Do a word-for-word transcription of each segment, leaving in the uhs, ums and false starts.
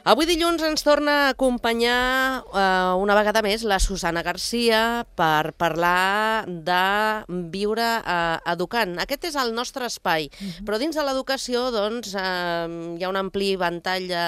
Avui dilluns ens torna a acompanyar eh, una vegada més la Susana Garcia per parlar de viure eh, educant. Aquest és el nostre espai, uh-huh. però dins de l'educació doncs, eh, hi ha un ampli ventall de,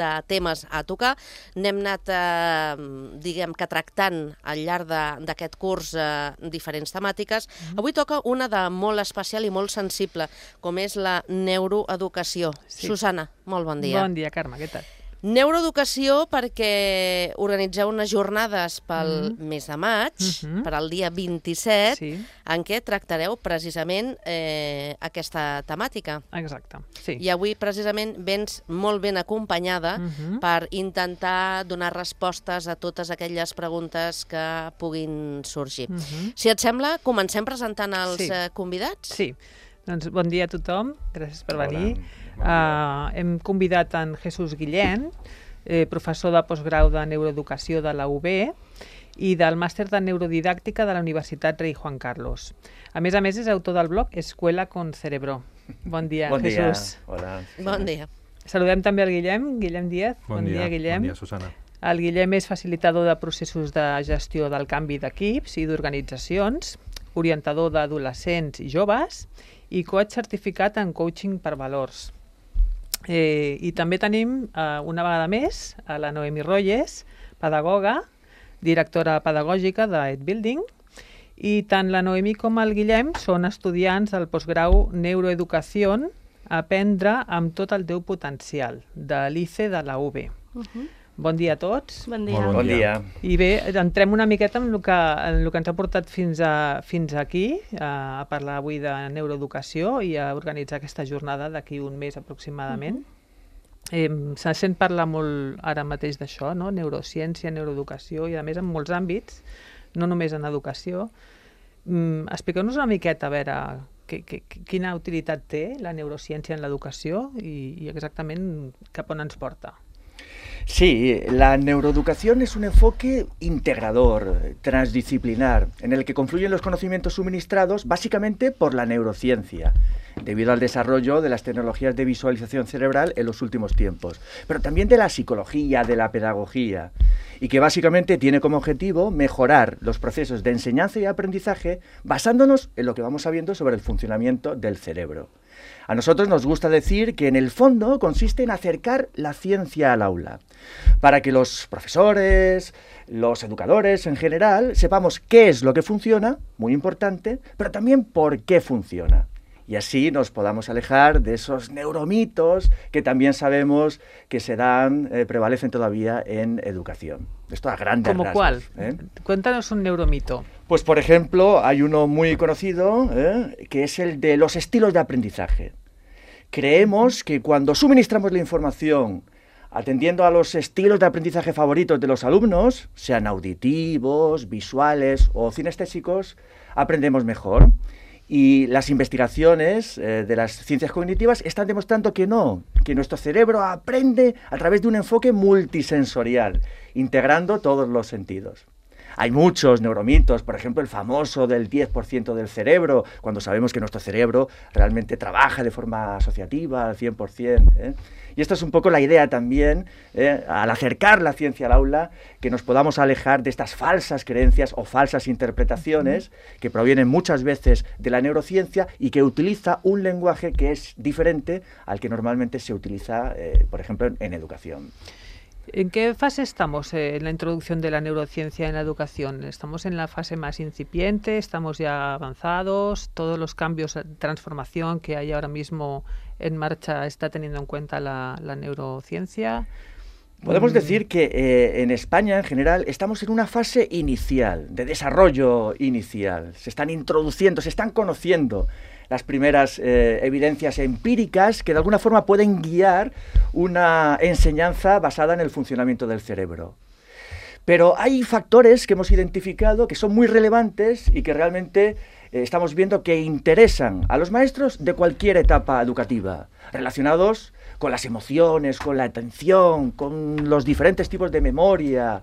de temes a tocar. N'hem anat, eh, diguem que tractant al llarg d'aquest curs eh, diferents temàtiques. Uh-huh. Avui toca una de molt especial i molt sensible, com és la neuroeducació. Sí. Susana, molt bon dia. Bon dia, Carme, què tal? Neuroeducació perquè organitzeu unes jornades pel mm. mes de maig, mm-hmm. per al dia vint-i-set, sí. en què tractareu precisament eh, aquesta temàtica. Exacte, sí. I avui precisament vens molt ben acompanyada mm-hmm. per intentar donar respostes a totes aquelles preguntes que puguin sorgir. Mm-hmm. Si et sembla, comencem presentant els sí. eh, convidats? Sí. Doncs bon dia a tothom, gràcies per venir. Uh, hem convidat en Jesús Guillén, eh, professor de postgrau de neuroeducació de la U B i del màster de neurodidàctica de la Universitat Rei Juan Carlos. A més a més, és autor del blog Escuela con Cerebro. Bon dia, bon Jesús. Dia. Hola. Bon dia. Saludem també el Guillem, Guillem Díaz. Bon, bon dia, dia Guillem. Bon dia, Susana. El Guillem és facilitador de processos de gestió del canvi d'equips i d'organitzacions, orientador d'adolescents i joves i coach certificat en coaching per valors. Eh, I també tenim, eh, una vegada més, a la Noemi Royes, pedagoga, directora pedagògica d'EdBuilding, i tant la Noemi com el Guillem són estudiants del postgrau Neuroeducació, Aprendre amb tot el teu potencial, de l'I C E de la U B. Uh-huh. Bon dia a tots. Bon dia. Bon dia. I bé, entrem una miqueta en el que, en el que ens ha portat fins, a, fins aquí, a parlar avui de neuroeducació i a organitzar aquesta jornada d'aquí un mes aproximadament. Uh-huh. eh, se sent parlar molt ara mateix d'això, no? Neurociència, neuroeducació i a més en molts àmbits, no només en educació. Mm, expliqueu-nos una miqueta a veure que, que, quina utilitat té la neurociència en l'educació i, i exactament cap on ens porta. Sí, la neuroeducación es un enfoque integrador, transdisciplinar, en el que confluyen los conocimientos suministrados básicamente por la neurociencia, debido al desarrollo de las tecnologías de visualización cerebral en los últimos tiempos, pero también de la psicología, de la pedagogía, y que básicamente tiene como objetivo mejorar los procesos de enseñanza y aprendizaje basándonos en lo que vamos sabiendo sobre el funcionamiento del cerebro. A nosotros nos gusta decir que en el fondo consiste en acercar la ciencia al aula, para que los profesores, los educadores en general, sepamos qué es lo que funciona, muy importante, pero también por qué funciona. Y así nos podamos alejar de esos neuromitos que también sabemos que se dan, eh, prevalecen todavía en educación. Esto a grandes rasgos. ¿Cómo cuál? ¿eh? Cuéntanos un neuromito. Pues, por ejemplo, hay uno muy conocido, ¿eh? que es el de los estilos de aprendizaje. Creemos que cuando suministramos la información atendiendo a los estilos de aprendizaje favoritos de los alumnos, sean auditivos, visuales o cinestésicos, aprendemos mejor. Y las investigaciones eh, de las ciencias cognitivas están demostrando que no, que nuestro cerebro aprende a través de un enfoque multisensorial, integrando todos los sentidos. Hay muchos neuromitos, por ejemplo, el famoso del diez por ciento del cerebro, cuando sabemos que nuestro cerebro realmente trabaja de forma asociativa al cien por ciento. ¿eh? Y esto es un poco la idea también, ¿eh? al acercar la ciencia al aula, que nos podamos alejar de estas falsas creencias o falsas interpretaciones que provienen muchas veces de la neurociencia y que utiliza un lenguaje que es diferente al que normalmente se utiliza, eh, por ejemplo, en, en educación. ¿En qué fase estamos eh, en la introducción de la neurociencia en la educación? ¿Estamos en la fase más incipiente? ¿Estamos ya avanzados? ¿Todos los cambios, transformación que hay ahora mismo en marcha está teniendo en cuenta la, la neurociencia? Podemos decir que eh, en España, en general, estamos en una fase inicial, de desarrollo inicial. Se están introduciendo, se están conociendo las primeras eh, evidencias empíricas que de alguna forma pueden guiar una enseñanza basada en el funcionamiento del cerebro. Pero hay factores que hemos identificado que son muy relevantes y que realmente eh, estamos viendo que interesan a los maestros de cualquier etapa educativa, relacionados con las emociones, con la atención, con los diferentes tipos de memoria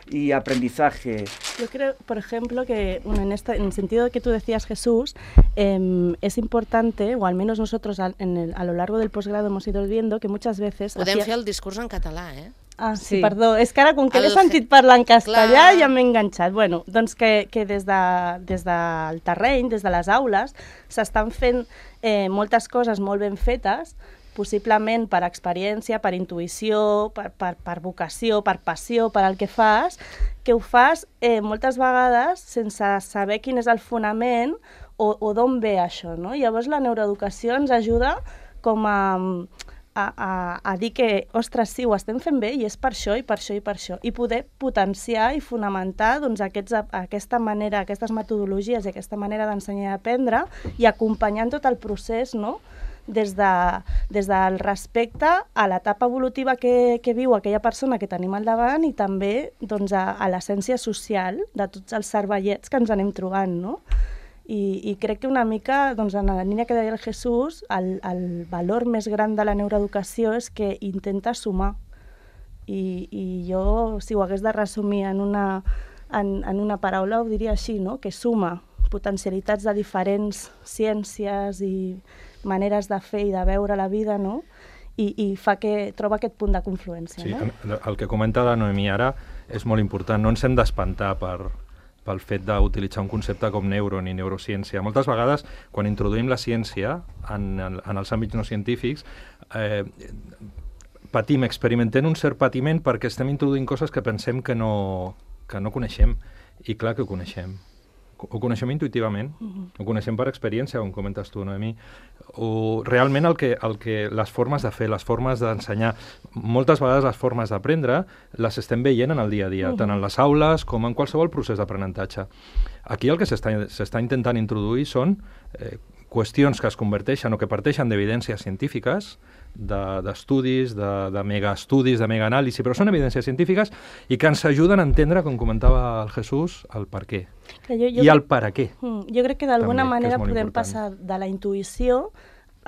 y aprendizaje. Yo creo, por ejemplo, que bueno, en, esta, en el sentido que tú decías, Jesús, eh, es importante, o al menos nosotros a, en el, a lo largo del posgrado hemos ido viendo que muchas veces... Podem hacía... fer el discurs en català, eh? Ah, sí, Sí. perdó. És que ara, com que El l'he sentit parlar en castellà, Clar. ja m'he enganxat. Bueno, doncs que, que des, de, des del terreny, des de les aules, s'estan fent eh, moltes coses molt ben fetes, possiblement per experiència, per intuïció, per, per, per vocació, per passió, per al que fas, que ho fas eh, moltes vegades sense saber quin és el fonament o, o d'on ve això, no? Llavors la neuroeducació ens ajuda com a... A, a, a dir que, ostres, sí, ho estem fent bé i és per això, i per això, i per això. I poder potenciar i fonamentar doncs, aquests, aquesta manera, aquestes metodologies i aquesta manera d'ensenyar i aprendre i acompanyant tot el procés, no? Des, de, des del respecte a l'etapa evolutiva que, que viu aquella persona que tenim al davant i també doncs, a, a l'essència social de tots els cervellets que ens anem trobant, no? I, i crec que una mica, doncs, en la línia que deia el Jesús, el, el valor més gran de la neuroeducació és que intenta sumar. I, i jo, si ho hagués de resumir en una, en, en una paraula, ho diria així, no? Que suma potencialitats de diferents ciències i maneres de fer i de veure la vida, no? I, i fa que troba aquest punt de confluència. Sí, no? el, el que comenta la Noemí ara és molt important. No ens hem d'espantar per, pel fet d'utilitzar un concepte com neuro ni neurociència. Moltes vegades, quan introduïm la ciència en, en, en els àmbits no científics, eh, patim, experimentem un cert patiment perquè estem introduint coses que pensem que no, que no coneixem. I clar que ho coneixem. Ho coneixem intuïtivament, uh-huh. Ho coneixem per experiència, com comentes tu, Noemí. O realment el que, el que les formes de fer, les formes d'ensenyar, moltes vegades les formes d'aprendre les estem veient en el dia a dia, uh-huh. Tant en les aules com en qualsevol procés d'aprenentatge. Aquí el que s'està intentant introduir són eh, qüestions que es converteixen o que parteixen d'evidències científiques, d'estudis, de, de, de megaestudis, de megaanàlisi, però són evidències científiques i que ens ajuden a entendre, com comentava el Jesús, el per què. Jo, jo, I el per a què. Jo crec que d'alguna manera podem important. passar de la intuïció,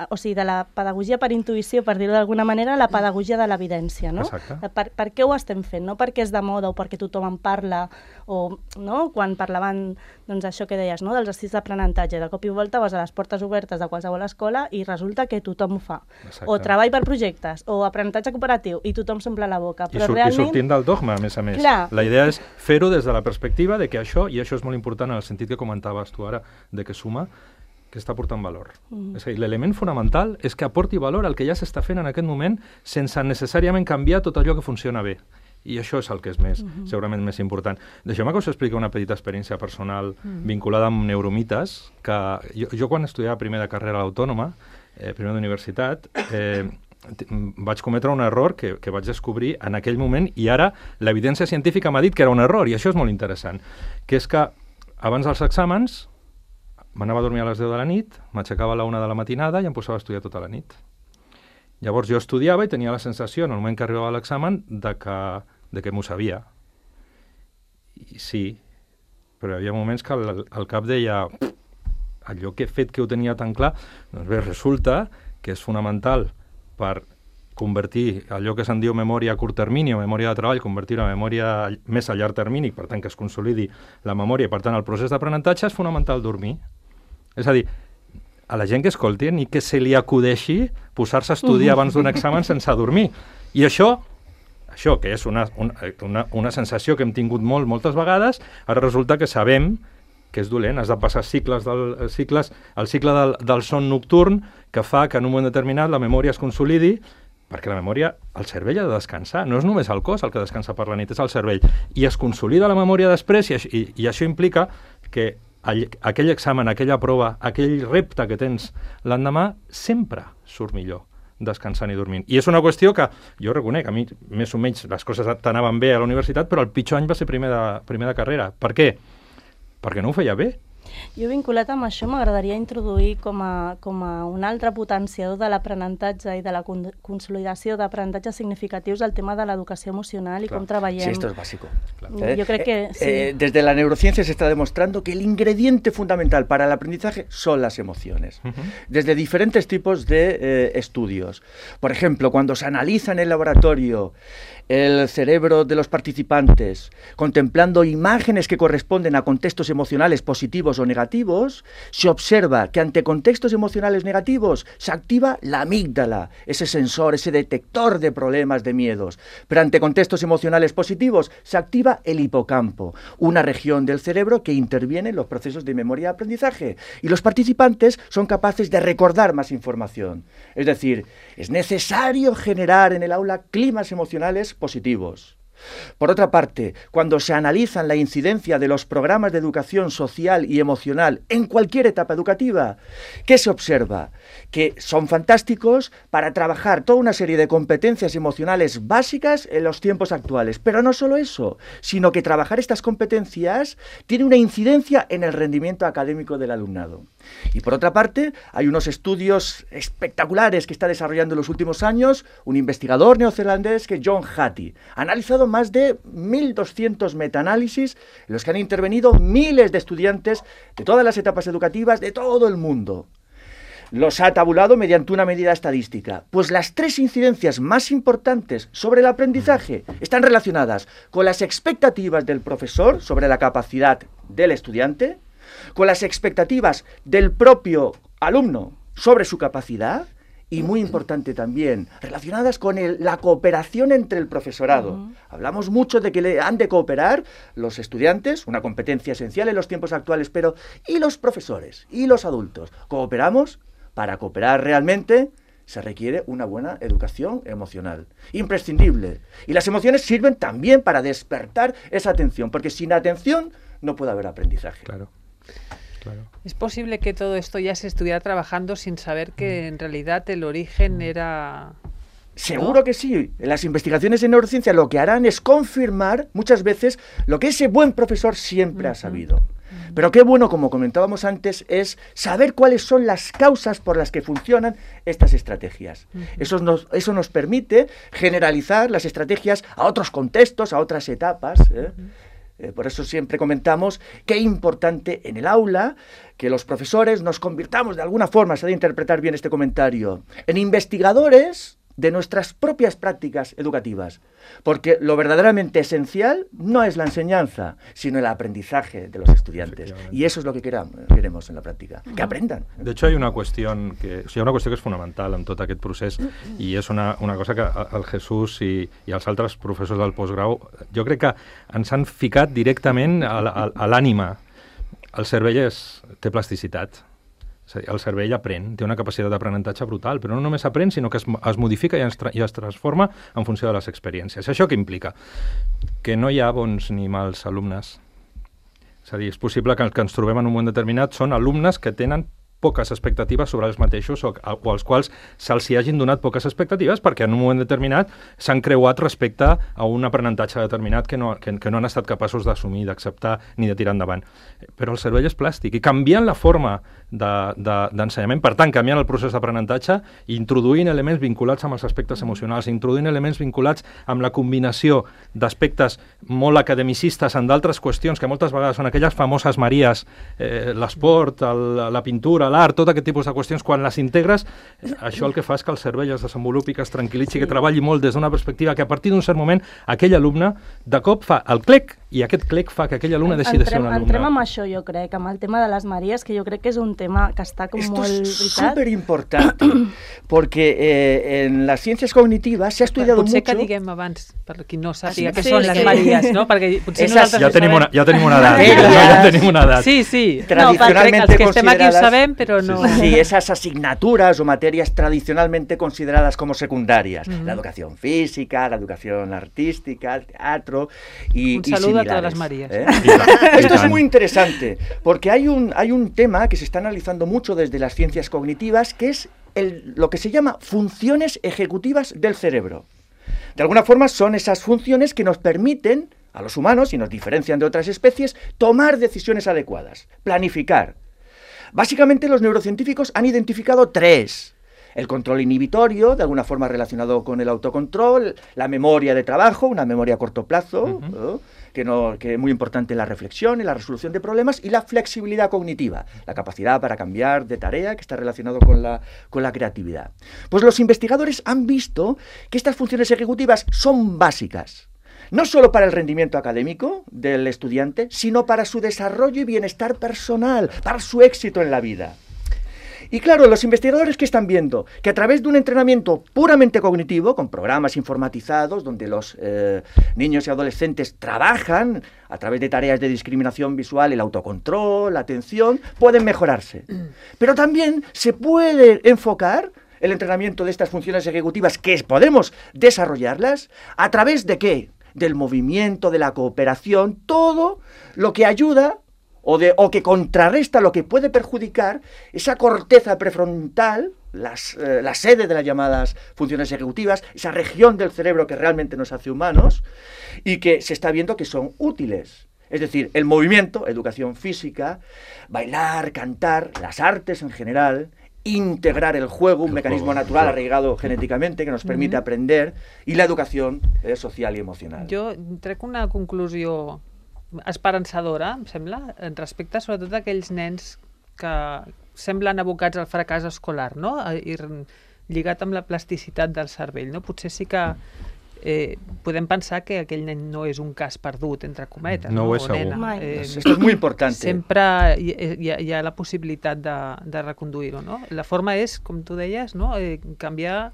o sigui, de la pedagogia per intuïció, per dir-ho d'alguna manera, a la pedagogia de l'evidència, no? Exacte. Per, per què ho estem fent? No perquè és de moda o perquè tothom en parla, o no? Quan parlaven, doncs això que deies, no? Dels estils d'aprenentatge, de cop i volta vas a les portes obertes de qualsevol escola i resulta que tothom ho fa. Exacte. O treball per projectes, o aprenentatge cooperatiu, i tothom s'omple la boca. Però I, sur realment... I sortint del dogma, a més a més. Clar. La idea és fer-ho des de la perspectiva de que això, i això és molt important en el sentit que comentaves tu ara, de que suma, que està portant valor. Mm. És a dir, l'element fonamental és que aporti valor al que ja s'està fent en aquest moment sense necessàriament canviar tot allò que funciona bé. I això és el que és més, mm-hmm. segurament més important. Deixeu-me que us expliqui una petita experiència personal mm. vinculada amb neuromites, que jo, jo quan estudiava primer de carrera a l'Autònoma, eh, primer d'universitat, eh, vaig cometre un error que, que vaig descobrir en aquell moment i ara l'evidència científica m'ha dit que era un error i això és molt interessant, que és que abans dels exàmens m'anava a dormir a les deu de la nit, m'aixecava a la una de la matinada i em posava a estudiar tota la nit. Llavors jo estudiava i tenia la sensació, en el moment que arribava l'examen, de que, de que m'ho sabia. I sí, però hi havia moments que el, el cap deia allò que he fet que ho tenia tan clar, doncs bé, resulta que és fonamental per convertir allò que se'n diu memòria a curt termini o memòria de treball, convertir-ho en memòria més a llarg termini, per tant que es consolidi la memòria i per tant el procés d'aprenentatge és fonamental dormir. És a dir, a la gent que escolti ni que se li acudeixi posar-se a estudiar abans d'un examen sense dormir. I això, això que és una, una, una sensació que hem tingut molt, moltes vegades, ara resulta que sabem que és dolent, has de passar cicles del, cicles, el cicle del, del son nocturn que fa que en un moment determinat la memòria es consolidi, perquè la memòria, el cervell ha de descansar, no és només el cos el que descansa per la nit, és el cervell, i es consolida la memòria després, i, i, i això implica que aquell examen, aquella prova, aquell repte que tens l'endemà, sempre surt millor descansant i dormint. I és una qüestió que jo reconec, a mi més o menys les coses t'anaven bé a la universitat, però el pitjor any va ser primer de, primer de carrera. Per què? Perquè no ho feia bé. Jo vinculat amb això m'agradaria introduir com a, com a un altre potenciador de l'aprenentatge i de la con consolidació d'aprenentatges significatius el tema de l'educació emocional i Claro. com treballem. Sí, esto es básico. Claro. Yo creo que eh, sí. eh, desde la neurociencia se está demostrando que el ingrediente fundamental para el aprendizaje son las emociones. Uh-huh. Desde diferentes tipos de eh, estudios. Por ejemplo, cuando se analiza en el laboratorio el cerebro de los participantes, contemplando imágenes que corresponden a contextos emocionales positivos o negativos, se observa que ante contextos emocionales negativos se activa la amígdala, ese sensor, ese detector de problemas, de miedos. Pero ante contextos emocionales positivos se activa el hipocampo, una región del cerebro que interviene en los procesos de memoria y aprendizaje. Y los participantes son capaces de recordar más información. Es decir, es necesario generar en el aula climas emocionales positivos. Por otra parte, cuando se analizan la incidencia de los programas de educación social y emocional en cualquier etapa educativa, ¿qué se observa? Que son fantásticos para trabajar toda una serie de competencias emocionales básicas en los tiempos actuales. Pero no solo eso, sino que trabajar estas competencias tiene una incidencia en el rendimiento académico del alumnado. Y por otra parte, hay unos estudios espectaculares que está desarrollando en los últimos años un investigador neozelandés que es John Hattie. Ha analizado más de mil doscientos metaanálisis en los que han intervenido miles de estudiantes de todas las etapas educativas de todo el mundo. Los ha tabulado mediante una medida estadística. Pues las tres incidencias más importantes sobre el aprendizaje están relacionadas con las expectativas del profesor sobre la capacidad del estudiante, con las expectativas del propio alumno sobre su capacidad y, muy importante también, relacionadas con el, la cooperación entre el profesorado. Uh-huh. Hablamos mucho de que le han de cooperar los estudiantes, una competencia esencial en los tiempos actuales, pero ¿y los profesores? ¿Y los adultos? ¿Cooperamos? Para cooperar realmente se requiere una buena educación emocional, imprescindible. Y las emociones sirven también para despertar esa atención, porque sin atención no puede haber aprendizaje. Claro. Claro. ¿Es posible que todo esto ya se estuviera trabajando sin saber que en realidad el origen era...? Seguro ¿no? que sí. Las investigaciones en neurociencia lo que harán es confirmar muchas veces lo que ese buen profesor siempre uh-huh. ha sabido. Uh-huh. Pero qué bueno, como comentábamos antes, es saber cuáles son las causas por las que funcionan estas estrategias. Uh-huh. Eso nos, eso nos permite generalizar las estrategias a otros contextos, a otras etapas, ¿eh? Uh-huh. Eh, por eso siempre comentamos qué importante en el aula que los profesores nos convirtamos de alguna forma, se ha de interpretar bien este comentario, en investigadores de nuestras propias prácticas educativas. Porque lo verdaderamente esencial no es la enseñanza, sino el aprendizaje de los estudiantes. Y eso es lo que queramos, queremos en la práctica, que aprendan. De hecho, hay una cuestión que, o sigui, una qüestió que és fonamental en tot aquest procés i és una, una cosa que el Jesús i, i els altres professors del postgrau jo crec que ens han ficat directament a, a, a l'ànima. El cervell és, té plasticitat. És a dir, el cervell aprèn, té una capacitat d'aprenentatge brutal, però no només aprèn, sinó que es, es modifica i es, i es transforma en funció de les experiències. Això què implica? Que no hi ha bons ni mals alumnes. És a dir, és possible que els que ens trobem en un moment determinat són alumnes que tenen poques expectatives sobre els mateixos o, o als quals se'ls hi hagin donat poques expectatives perquè en un moment determinat s'han creuat respecte a un aprenentatge determinat que no, que, que no han estat capaços d'assumir, d'acceptar ni de tirar endavant. Però el cervell és plàstic i canviant la forma d'ensenyament, de, de, per tant, canviant el procés d'aprenentatge, introduint elements vinculats amb els aspectes emocionals, introduint elements vinculats amb la combinació d'aspectes molt academicistes en d'altres qüestions que moltes vegades són aquelles famoses maries, eh, l'esport, el, la pintura, l'art, tot aquest tipus de qüestions, quan les integres, això el que fa és que el cervell es desenvolupi, que es tranquil·litzi, sí. que treballi molt des d'una perspectiva que a partir d'un cert moment aquell alumne de cop fa el clec i aquest clec fa que aquell alumne deixi de ser un alumne. Entrem amb això, jo crec, amb el tema de les Maries, que jo crec que és un tema que està com Esto molt... es súper importante, porque eh, en las ciencias cognitivas se ha estudiado potser mucho... Potser que diguem abans, per qui no sàpiga sí, què sí, són sí. les Maries, no? Perquè potser Esas, nosaltres ja, tenim una, ja tenim una edat, Materias. ja tenim una edat. Sí, sí. Tradicionalmente no, els que estem aquí ho consideradas- sabem, però no... Sí, sí, esas asignaturas o materias tradicionalmente consideradas como secundarias. Uh-huh. La educación física, la educación artística, el teatro y Un y saludo a similares, todas las Marías. ¿eh? I tant, i Esto es tant. muy interesante, porque hay un, hay un tema que se está analizando mucho desde las ciencias cognitivas, que es el, lo que se llama funciones ejecutivas del cerebro. De alguna forma son esas funciones que nos permiten a los humanos y nos diferencian de otras especies, tomar decisiones adecuadas, planificar. Básicamente los neurocientíficos han identificado tres. El control inhibitorio, de alguna forma relacionado con el autocontrol, la memoria de trabajo, una memoria a corto plazo, uh-huh. ¿no? Que, no, que es muy importante en la reflexión, en la resolución de problemas, y la flexibilidad cognitiva, la capacidad para cambiar de tarea, que está relacionado con la, con la creatividad. Pues los investigadores han visto que estas funciones ejecutivas son básicas, no solo para el rendimiento académico del estudiante, sino para su desarrollo y bienestar personal, para su éxito en la vida. Y claro, los investigadores que están viendo que a través de un entrenamiento puramente cognitivo, con programas informatizados, donde los eh, niños y adolescentes trabajan a través de tareas de discriminación visual, el autocontrol, la atención, pueden mejorarse. Pero también se puede enfocar el entrenamiento de estas funciones ejecutivas, que podemos desarrollarlas, ¿a través de qué? Del movimiento, de la cooperación, todo lo que ayuda O, de, o que contrarresta lo que puede perjudicar esa corteza prefrontal, las, eh, la sede de las llamadas funciones ejecutivas, esa región del cerebro que realmente nos hace humanos y que se está viendo que son útiles. Es decir, el movimiento, educación física, bailar, cantar, las artes en general, integrar el juego, un el mecanismo juego, natural juego. arraigado genéticamente que nos permite uh-huh. aprender, y la educación eh, social y emocional. Jo trec una conclusió esperançadora, em sembla, respecte sobretot a aquells nens que semblen abocats al fracàs escolar, no? I lligat amb la plasticitat del cervell, no? Potser sí que eh, podem pensar que aquell nen no és un cas perdut, entre cometes, no, no? Ho és segur. Eh, Esto es muy importante. Sempre hi, hi, ha, hi ha la possibilitat de, de reconduir-ho, no? La forma és, com tu deies, no? eh, canviar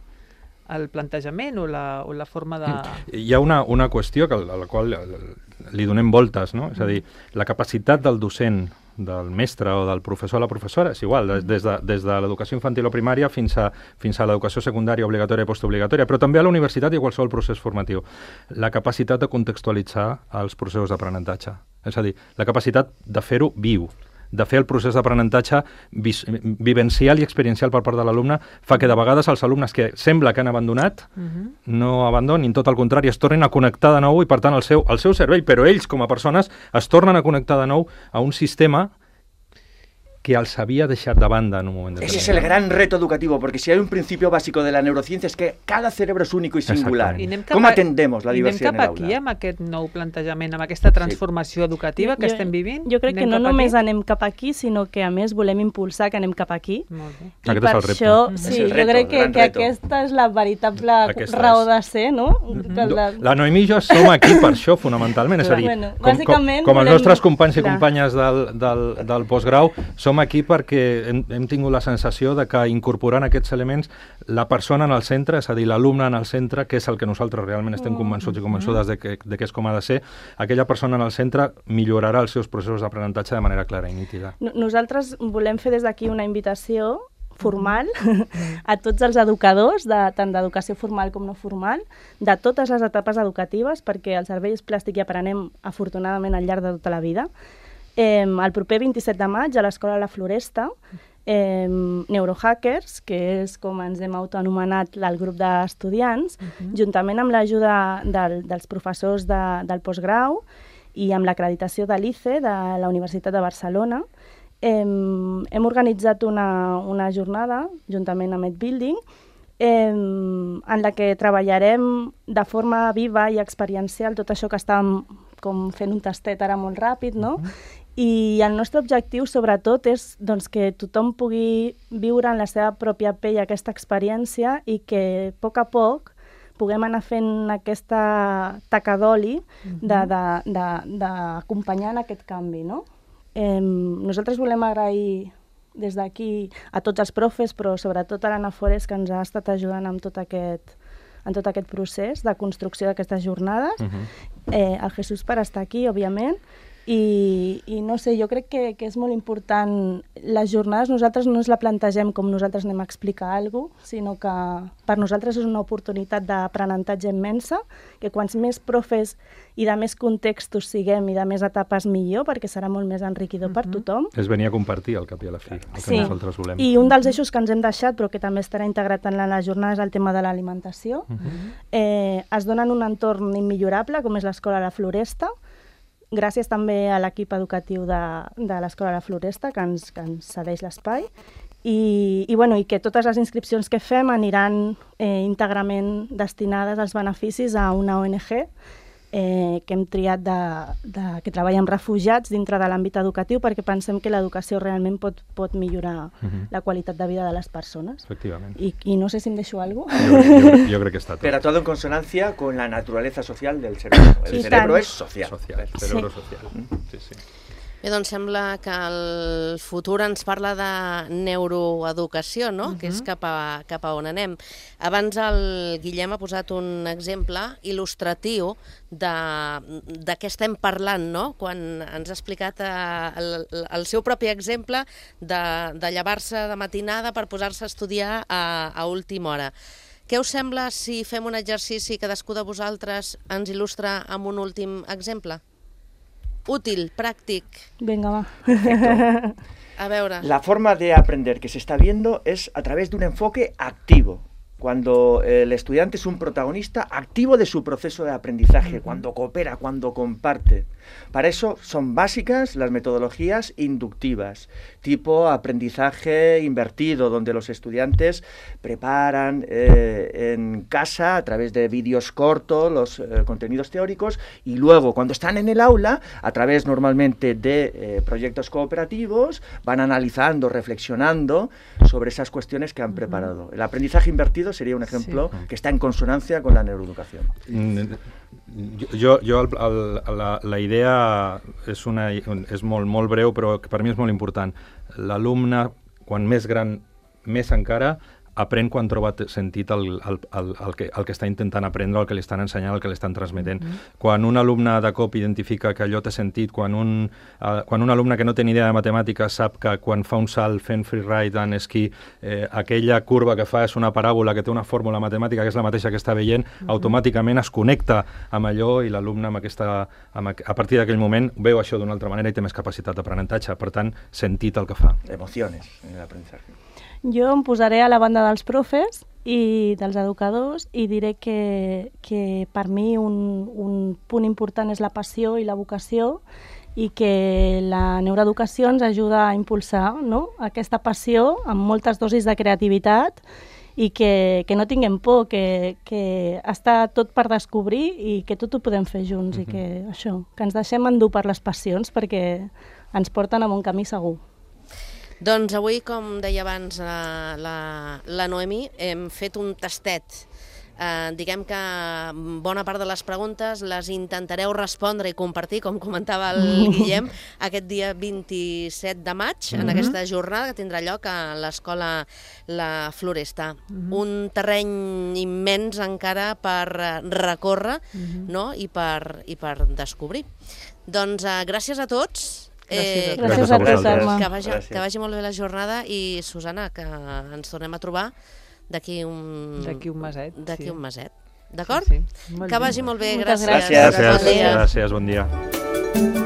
el plantejament o la, o la forma de... Hi ha una, una qüestió que, a la qual li donem voltes, no? És a dir, la capacitat del docent, del mestre o del professor a la professora és igual, des de, des de l'educació infantil o primària fins a, fins a l'educació secundària obligatòria i postobligatòria, però també a la universitat i a qualsevol procés formatiu. La capacitat de contextualitzar els processos d'aprenentatge. És a dir, la capacitat de fer-ho viu, de fer el procés d'aprenentatge vivencial i experiencial per part de l'alumne, fa que de vegades els alumnes que sembla que han abandonat uh-huh. no abandonin, tot el contrari, es tornen a connectar de nou i per tant el seu, el seu cervell, però ells com a persones es tornen a connectar de nou a un sistema que els havia deixat de banda en un moment determinat. Ese es el gran reto educativo, porque si hay un principio básico de la neurociencia es que cada cerebro es único y singular. ¿Cómo atendemos la diversidad en el aula? I anem cap aquí amb aquest nou plantejament, amb aquesta transformació sí. educativa que jo, estem vivint? Jo crec anem que no només aquí? anem cap aquí, sinó que a més volem impulsar que anem cap aquí. Molt bé. I per això, sí, reto, jo crec que, que aquesta és la veritable aquesta raó és. de ser, no? Mm-hmm. La... la Noemí i jo som aquí per això, fonamentalment. És a dir, bueno, com, com, com els nostres companys i companyes del, del, del postgrau, som aquí perquè hem, hem tingut la sensació de que incorporant aquests elements la persona en el centre, és a dir, l'alumne en el centre, que és el que nosaltres realment estem convençuts i convençudes de que, de que és com ha de ser, aquella persona en el centre millorarà els seus processos d'aprenentatge de manera clara i nítida. Nosaltres volem fer des d'aquí una invitació formal a tots els educadors, de, tant d'educació formal com no formal, de totes les etapes educatives, perquè el cervell és plàstic i aprenem afortunadament al llarg de tota la vida. Eh, el proper vint-i-set de maig a l'Escola La Floresta, eh, Neurohackers, que és com ens hem autoanomenat el grup d'estudiants, uh-huh. juntament amb l'ajuda del, dels professors de, del postgrau i amb l'acreditació de l'I C E, de la Universitat de Barcelona, eh, hem organitzat una, una jornada, juntament amb EdBuilding, eh, en la que treballarem de forma viva i experiencial tot això que estàvem com fent un tastet ara molt ràpid, no? Uh-huh. I el nostre objectiu, sobretot, és doncs, que tothom pugui viure en la seva pròpia pell aquesta experiència i que, a poc a poc, puguem anar fent aquesta taca d'oli d'acompanyar en aquest canvi, no? Eh, nosaltres volem agrair des d'aquí a tots els profes, però sobretot a l'Anna Forés, que ens ha estat ajudant amb tot aquest, en tot aquest procés de construcció d'aquestes jornades, uh-huh. eh, al Jesús per estar aquí, òbviament, I, i no sé, jo crec que, que és molt important. Les jornades nosaltres no ens la plantegem com nosaltres anem a explicar alguna cosa, sinó que per nosaltres és una oportunitat d'aprenentatge immensa, que quants més profes i de més contextos siguem i de més etapes millor, perquè serà molt més enriquidor per tothom. És venir a compartir al cap i a la fi, el que Sí, nosaltres volem. i un dels eixos que ens hem deixat, però que també estarà integrat en la jornada, és el tema de l'alimentació. Eh, es dona en un entorn immillorable, com és l'Escola La Floresta, gràcies també a l'equip educatiu de, de l'Escola La Floresta, que ens, que ens cedeix l'espai, i, i, bueno, i que totes les inscripcions que fem aniran eh, íntegrament destinades als beneficis a una O N G eh, que hem triat de, de, que treballa amb refugiats dintre de l'àmbit educatiu, perquè pensem que l'educació realment pot, pot millorar Mhm. la qualitat de vida de les persones. Efectivament. I, i no sé si em deixo alguna cosa. Jo, jo, crec- jo crec que està tot. Pero todo en consonancia con la naturaleza social del cerebro. El Sí, cerebro tant. es social. Social, Sí. cerebro social. Sí, sí. Bé, doncs sembla que el futur ens parla de neuroeducació, no? Que és cap a, cap a on anem. Abans el Guillem ha posat un exemple il·lustratiu de, de què estem parlant, no? Quan ens ha explicat eh, el, el seu propi exemple de, de llevar-se de matinada per posar-se a estudiar a, a última hora. Què us sembla si fem un exercici que cadascú de vosaltres ens il·lustra amb un últim exemple? Útil, pràctic. Vinga, va. A veure. La forma de aprender que se está viendo es a través de un enfoque activo. Cuando el estudiante es un protagonista activo de su proceso de aprendizaje, cuando coopera, cuando comparte. Para eso son básicas las metodologías inductivas, tipo aprendizaje invertido, donde los estudiantes preparan eh, en casa a través de vídeos cortos los eh, contenidos teóricos y luego cuando están en el aula, a través normalmente de eh, proyectos cooperativos, van analizando, reflexionando sobre esas cuestiones que han preparado. El aprendizaje invertido sería un ejemplo Sí. que está en consonancia con la neuroeducación. Mm, Jo, jo el, el, la, la idea és, una, és molt, molt breu, però que per mi és molt important. L'alumne, quan més gran, més encara, aprèn quan troba t- sentit el, el, el, el, que, el que està intentant aprendre, el que li estan ensenyant, el que li estan transmetent. Mm-hmm. Quan un alumne de cop identifica que allò té sentit, quan un, uh, quan un alumne que no té ni idea de matemàtiques sap que quan fa un salt fent freeride en esquí, eh, aquella curva que fa és una paràbola que té una fórmula matemàtica que és la mateixa que està veient, mm-hmm. automàticament es connecta amb allò i l'alumne amb aquesta, amb, aqu- a partir d'aquell moment veu això d'una altra manera i té més capacitat d'aprenentatge. Per tant, sentit el que fa. Emociones en el aprendizaje. Jo em posaré a la banda dels profes i dels educadors i diré que, que per mi un, un punt important és la passió i la vocació i que la neuroeducació ens ajuda a impulsar, no?, aquesta passió amb moltes dosis de creativitat i que, que no tinguem por, que, que està tot per descobrir i que tot ho podem fer junts i que això, que ens deixem endur per les passions perquè ens porten a un camí segur. Doncs avui, com deia abans la, la, la Noemi, hem fet un tastet. Eh, diguem que bona part de les preguntes les intentareu respondre i compartir, com comentava el Guillem, aquest dia vint-i-set de maig, mm-hmm. en aquesta jornada que tindrà lloc a l'Escola La Floresta. Mm-hmm. Un terreny immens encara per recórrer, mm-hmm. no?, i per, i per descobrir. Doncs eh, gràcies a tots. Gràcies a Eh, tu. Gràcies a tu, Carme. que vagi, Gràcies. que vagi molt bé la jornada i, Susana, que ens tornem a trobar d'aquí un... D'aquí un meset, D'aquí sí. un meset. D'acord? Sí, sí. Molt Que bé. vagi molt bé. Moltes Gràcies. gràcies. Gràcies. Bon dia. Gràcies, bon dia.